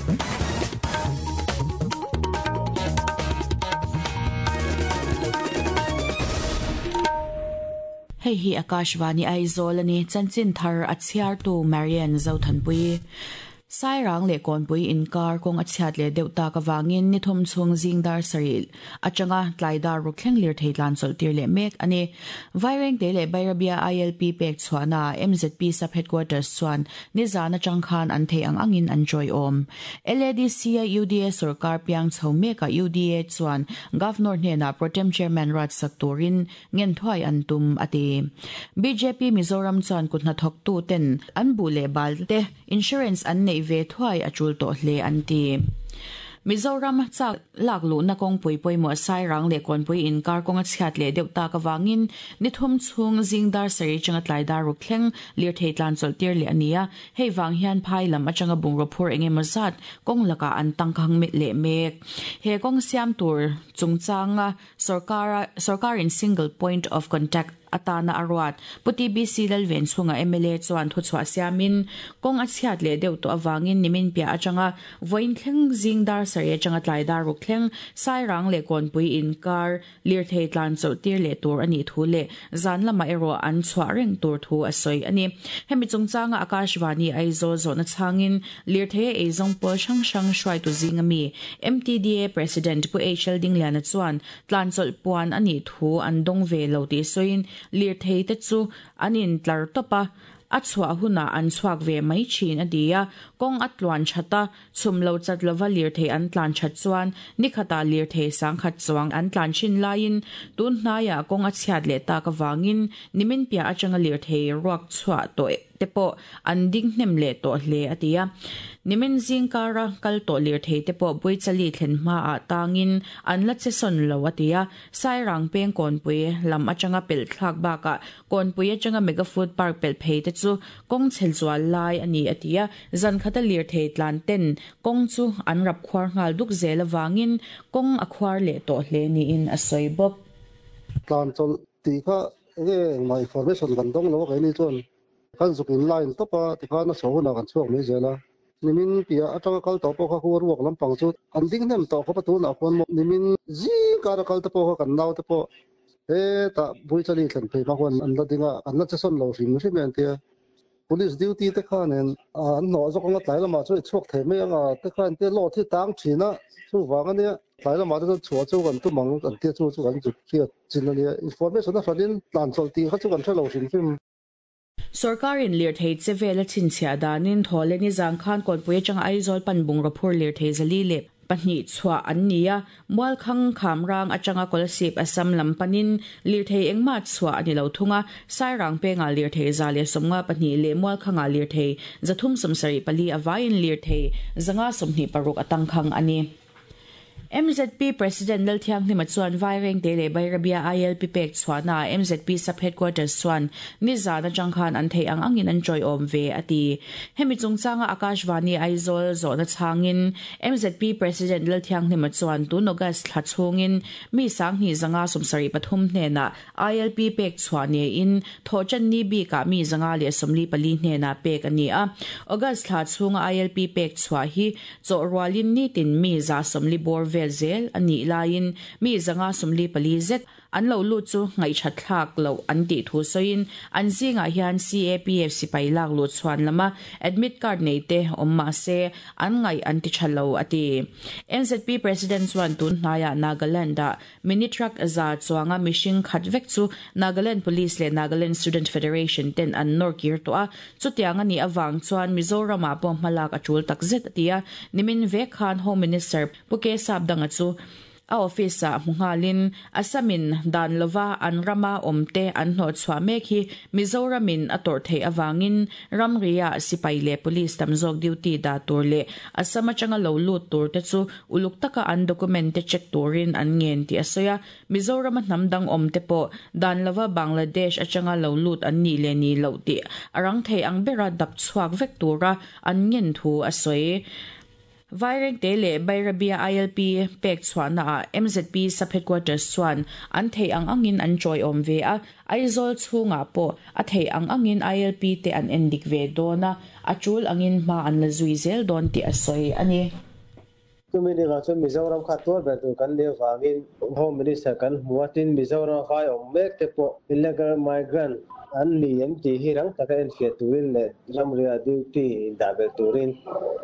Hei hi Akashvani Aizawl a ni, chanchin thar a chhiartu Marian Zothanpui. Sairang leh Kawnpui inkar kawng a chhiat leh deuh tak avangin ni thum chhung zing dar sarih atanga tlai dar ruk thleng lirthei tlan chawlh tir leh mek a ni. Vairengte leh Bairabia ILP pek chhuahnaah MZP Sub Headquarters chuan nizan atang khan an theih ang angin an tawiawm. LADC a UDA sawrkar piang chho mekah UDA chuan Governor hnenah Protem Chairman ruatsak turin Ngen thuai an tum, a ti. Bjp Mizoram chuan kut hnathawktu ten an buh leh bal te insurance an neih ve thuai a tul tawh hle an ti. Mizoram chak lak luhna kawngpui pawimawh Sairang leh Kawnpui inkar kawng a chhiat leh deuh tak avangin ni thum chhung zing dar sarih atanga tlai dar ruk thleng lirthei tlan chawlh tir leh a ni a, hei vang hian phai lam atanga bungraw phur eng emaw zat kawng lakah an tangkhang leh mek. He kawng siam tur chungchanga Sorkara sorkarin Single Point of Contact atana a ruat Pu TBC Lalven chhunga mla chuan thuchhuah siamin kawng a chhiat leh deuh tawh avangin nimin piah atanga vawiin thleng zing dar sarih atanga tlai dar ruk thleng Sairang leh Kawnpui inkar lirthei tlan chawlh tir leh tur a nih thu leh zan lamah erawh an chhuah reng tur thu a sawi a ni. Hemi chungchanga Akashvani Aizawl zawhna chhangin Lirthei a eizawng pawl hrang hrang hruaitu zinga mi MTDA President Pu HL Dingliana chuan tlanchawlh puan a nih thu an dawng ve lo tih sawiin lirthei te chu an intlar tawp a, a chhuah hunah an chhuak ve mai thin a ti a. Kawng a tluan that a, chhum lo chat lova lirthei an tlan that chuan nikhatah lirthei sangkhat chuang an tlan thin laiin tun hnaiah kawng a chhiat leh tak avangin nimin piah atanga lirthei ruak chhuah tawh te pawh an ding hnem leh tawh hle a ti a. Nimin zingkara kal tawh lirthei te pawh Buichali thlen hmaah tangin an la che sawn lo a ti a. Sairang peng Kawnpui lam atanga pelh thlak bakah Kawnpui atanga Mega Food Park pelh phei te chu kawng chhe zual lai a ni a ti a. Zan khata lirthei tlan ten kawng chu an rap khuar nghal duk zel avangin kawng a khuar leh tawh hle niin a sawi bawk. Tlan chawlh tih kha Enge engmah information kan dawng lo a keini chuan kan zuk in line tawp a tikhan a chho hunah kan chhuak mai zel a. Nimin piah atanga kal tawh pawh kha khu ruak lampang chu an ding hnem tawh khawp a tunah khuan maw nimin zing kara kal te pawh kha kan nau te pawh hetah Buichali thlen phei hma khuan an la ding a an la che sawn lo hrim hrim e an tia. Police duty te khanin an hnawh zawk anga tlai lamah chuan i chhuak thei mai anga te khan tia load hi tang thin a, chuvang ania tlai lamah te chuan chhuah chu kan tum ang an tia chu chu kan zut hriat chin ania information a hranin tlan chawlh tih kha chu kan hre lo hrim hrim. Sorkarin lirthei che vel a chhinchhiah danin Thawle nizang khan Kawnpui atanga Aizawl pan bungraw phur lirthei zali leh pahnih chhuah an ni a, Mualkhang Khamrang atanga Kolasib Assam lam panin lirthei engmah chhuah a ni lo thung a, Sairang pengah lirthei 152 leh Mualkhangah lirthei 374 a vaiin lirthei 526 a tangkhang a ni. MZP President Lalthianghlima chuan Vairengte leh Bairabia ILP pek chhuahnaah MZP Sub Headquarters chuan nizan atang khan an theih ang angin an tawiawm ve a ti. Hemi chungchanga Akashvani Aizawl zawhna chhangin MZP President Lalthianghlima chuan tun August thla chhungin mi sanghnih 573 hnenah ILP pek chhuah niin Thawhṭanni bikah mi 144 hnenah pek a ni a. August thla chhunga ILP pek chhuah hi chawh rualin nitin mi 140 bawr vel zel a nih laiin mi 544 zet An lo lut chu ngaihṭhat thlak loh an tih thu sawiin an zingah hian CAPF sipai lak luh chhuan lama admit card nei te awm mah se an ngaih an ti ṭha lo a ti. MZP President chuan tun hnaiah Nagaland-ah mini truck za chuanga mihring khat vek chu Nagaland Police leh Nagaland Student Federation ten an nawr kir tawh a, chutiang a nih avang chuan Mizoramah pawh hmalak a ṭul takzet a ti a. Nimin vek khan Home Minister Pu K Sapdanga chu A office-ah hmu nghalin Assam-in dan lova an rama awmte an hnawhchhuah mek hi Mizoramin a tawrh theih avangin ramri-ah sipai leh police tam zawk duty dah tur leh Assam atanga lo lut turte chu uluk taka an document te check turin an ngen tih a sawi a. Mizorama hnam dang awmte pawh dan lova Bangladesh atanga lo lut an nih leh nih loh tih a rang thei ang bera dap chhuak vek tura an ngen thu a sawi. Vairengte leh Bairabia ILP pek chhuahnaah MZP Sub-Headquarters chuan an theih ang angin an tawiawm ve a, Aizawl chhungah pawh a theih ang angin ILP te an endik ve dawn a, a tul angin hma an la zui zel dawn tih a sawi a ni. Chumi ni vang chuan Mizoram kha tuar ber tur kan nih avangin Home Minister kan hmu a, tin Mizoram a vai awm mek te pawh illegal migrant an ni em tih hi rang taka enfiah turin leh ramria duty indah belh turin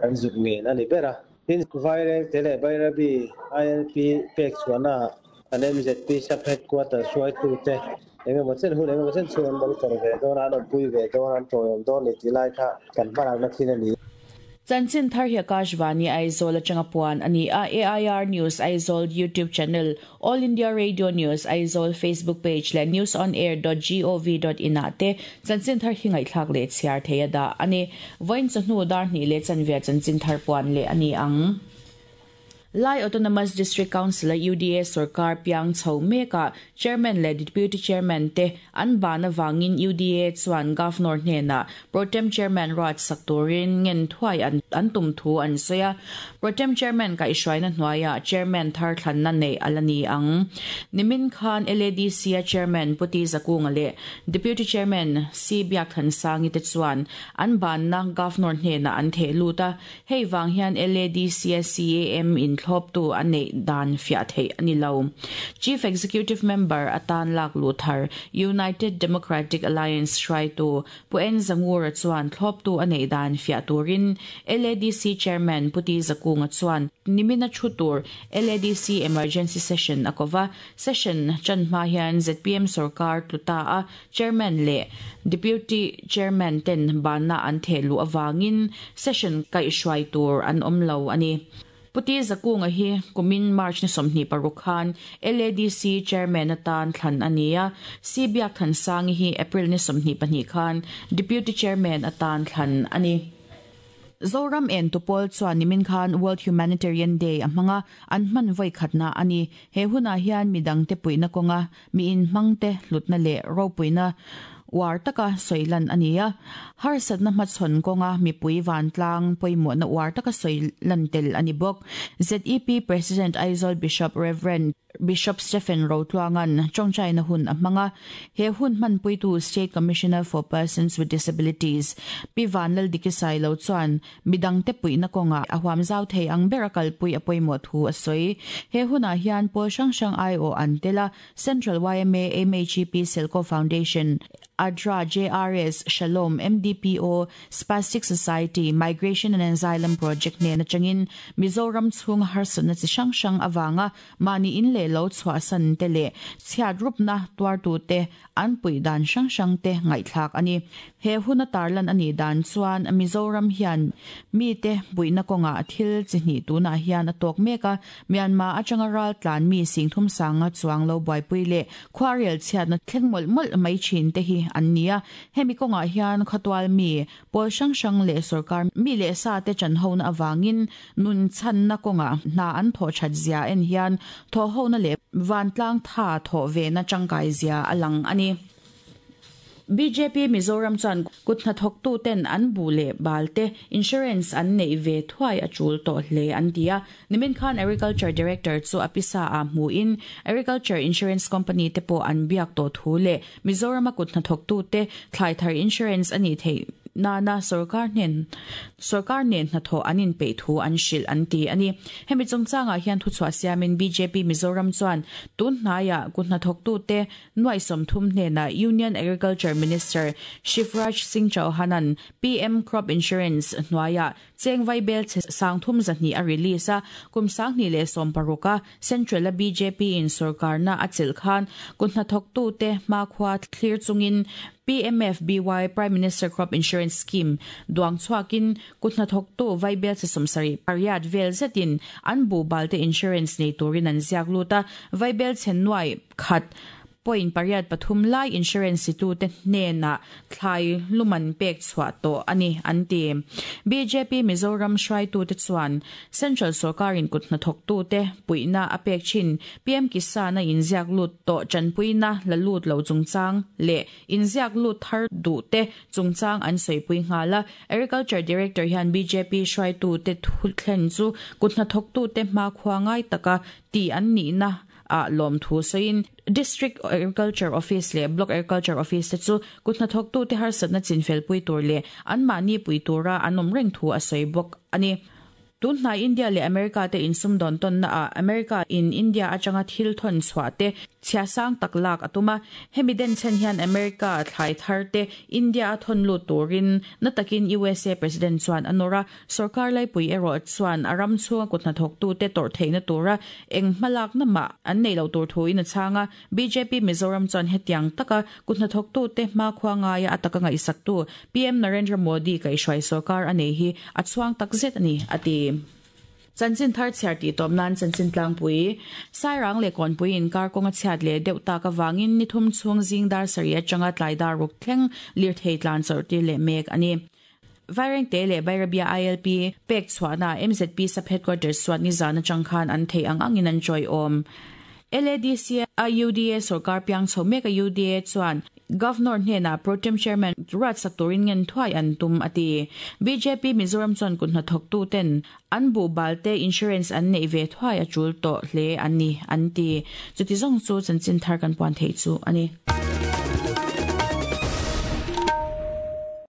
kan zuk ngen a ni ber a. Tin, Vairengte leh Bairabi ILP pek chhuahnaah kan MZP Sub-Headquarters hruaitute eng emaw chen hun eng emaw chen chhung an monitor ve dawn a, an awmpui ve dawn a, an tawiawm dawn a ni tih lai kha kan hmalakna thil a ni. Chanchin thar hi Akashvani Aizawl atanga puan a ni a, AIR News Aizawl YouTube channel, All India Radio News Aizawl Facebook page leh newsonair.gov.in ah te chanchin thar hi ngaihthlak leh chhiar thei a dah a ni. Vawiin chawhnu dar hnih leh chanve chanchin thar puan leh a ni ang. Lai Autonomous District Council-a UDA sorkar piang chho mekah Chairman leh Deputy Chairman te an ban avangin UDA chuan Governor hnenah Protem Chairman ruat sak turin ngen thuai an tum thu an sawi a. Protem Chairman kaihhruaina hnuaiah Chairman thar thlanna neih a la ni ang. Nimin khan LADC-a Chairman Pu Ti Zakunga leh Deputy Chairman Si Biakthansangi te chuan an banna Governor hnenah an theh lut a. Hei vang hian LADC-a CAM inthlawptu a neih dan fiah theih a ni lo. Chief Executive Member atan lak luh thar United Democratic Alliance hruaitu Pu En Zangura chuan thlawptu a neih dan fiah turin LADC Chairman Pu Ti Zakunga chuan nimina thu tur LADC Emergency Session a ko va. Session tan hma hian zpm sorkar tlu ta a, Chairman leh Deputy Chairman ten banna an theh luh avangin session kaihhruai tur an awm lo a ni. Pu Ti Zakunga hi kumin March ni 26 khan LADC Chairman atan thlan a ni a, Si Biak Thansangi hi April ni 22 khan Deputy Chairman atan thlan a ni. Zoram en tupawl chuan nimin khan World Humanitarian Day a hmang a, an hman vawi khatna a ni. He hunah hian midangte puihna kawnga mi inhmangte hlutna leh ropuina uar taka sawi lan a ni a. Harsatna hmachhawn kawnga mipui vantlang pawimawhna uar taka sawi lan tel a ni bawk. ZEP President Aizawl Bishop Rev. Bishop Stephen Rotluanga'n tawngtaina hun a hmang a, he hun hmanpuitu State Commissioner for Persons with Disabilities Pi Vanlaldiki Sailo chuan midangte puihna kawngah a huam zau thei ang ber a kalpui a pawimawh thu a sawi. He hunah hian pawl hrang hrang aiawh an tel a, Central yma, MHEP, Selco Foundation, ADRA, JRS, Shalom, MDPO, Spastic Society, Migration and Asylum Project nen atangin Mizoram chhunga harsatna chi hrang hrang avanga Mahni in leh lo chhuahsan te leh chhiat rupna tuartute an puih dan hrang hrang te ngaihthlak a ni. He huna tarlan a nih dan chuan Mizoram hian mite puihna kawngah thil chi hnih tunah hian a tawk mek a, Myanmar atanga ral tlan mi singthum sanga chuang lo buaipui leh khuarel chhiatna thleng mawlh mawlh mai thin te hi an ni a. Hemi kawngah hian khawtual mi pawl hrang hrang leh sorkar mi leh sa te chanhona avangin Nun chhanna kawngah hna an thawh that zia en hian thawhhona leh vantlang tha thawh vena tangkai zia a lang a ni. Bjp Mizoram chuan kut hnathawktu ten an bu leh bal te insurance an neih ve thuai a tul tawh hle an ti a. Nimin khan Agriculture Director chu a pisa ah hmuhin Agriculture Insurance Company te pawh an biak tawh thu leh Mizorama kut hnathawktu te thlai thar insurance a nih theih nana sorkar hnen sorkar nen hnathawh an inpeih thu an hrilh an ti a ni. Hemi chungchangah hian thuchhuah siamin bjp Mizoram chuan tun hnaiah kut hnathawktute nuaih 30 hnenah Union Agriculture Minister Shivraj Singh Chauhan-a'n PM Crop Insurance hnuaiah cheng vaibel chhe 300 200 a release a, kum 2016 a Central-a bjp in sorkarna a chelh khan kut hnathawktute hmakhua thlir chungin PMFBY, Prime Minister Crop Insurance Scheme, duang chhuakin kut hnathawktu vaibel chhe 78 vel zetin an buhbalte insurance nei turin an ziak lut a, vaibel chhe nuai khat. Point pariat pathum lai insurance titute hnenah thlai luman pek chhuah tawh a ni, an ti. Bjp Mizoram hruaitute chuan Central sorkarin kut hnathawktute puihna a pek thin PM Kisan-a inziak lut tawh tanpuina la lut lo chungchang leh inziak lut thar duhte chungchang an sawipui nghal a. Agriculture Director hian bjp hruaitute thu thlen chu kut hnathawktute hmakhua ngai taka ti an nihna ah lawmthu sawiin District Agriculture Office leh Block Agriculture Office te chu kut hnathawktute harsatna chinfelpui tur leh anmahni pui tura an awm reng thu a sawi bawk a ni. Tun hnai India leh America te insumdawn tawnna ah America in India atanga thil thawn chhuah te chhia sang tak lak a tum a, hemi denchhen hian America thlai thar te India a thawn lut turin na takin usa President chuan a nawr a, Sorkar laipui erawh chuan a ram chhunga kut hnathawktute tawrh theihna tura eng hmalakna mah an neih loh tur thuin a chhang a. Bjp Mizoram chuan hetiang taka kut hnathawktute hmakhua ngaia a taka ngaihsaktu PM Narendra Modi kaihhruai sorkar a nei hi a chhuang takzet a ni, a ti. Chanchin thar chhiar tih tawp nan chanchin tlangpui, Sairang leh Kawnpui inkar kawng a chhiat leh deuh tak avangin ni thum chhung zing dar sarih atanga tlai dar ruk thleng lirthei tlan chawrh tir leh mek a ni. Vairengte leh Bairabia ILP pek chhuahna MZP Sub Headquarters chuan nizan atang khan an theih ang angin an chawiawm. LADC a UDA sorkar piang chho mek a UDA chuan Governor hnenah Pro Tem Chairman ruatsak turin ngen thuai an tum a ti. Bjp Mizoram chuan kut hnathawktu ten an buhbal te insurance an neih ve thuai a tul tawh hle a ni an ti. Chuti zawng chu chanchin thar kan puan theih chu a ni.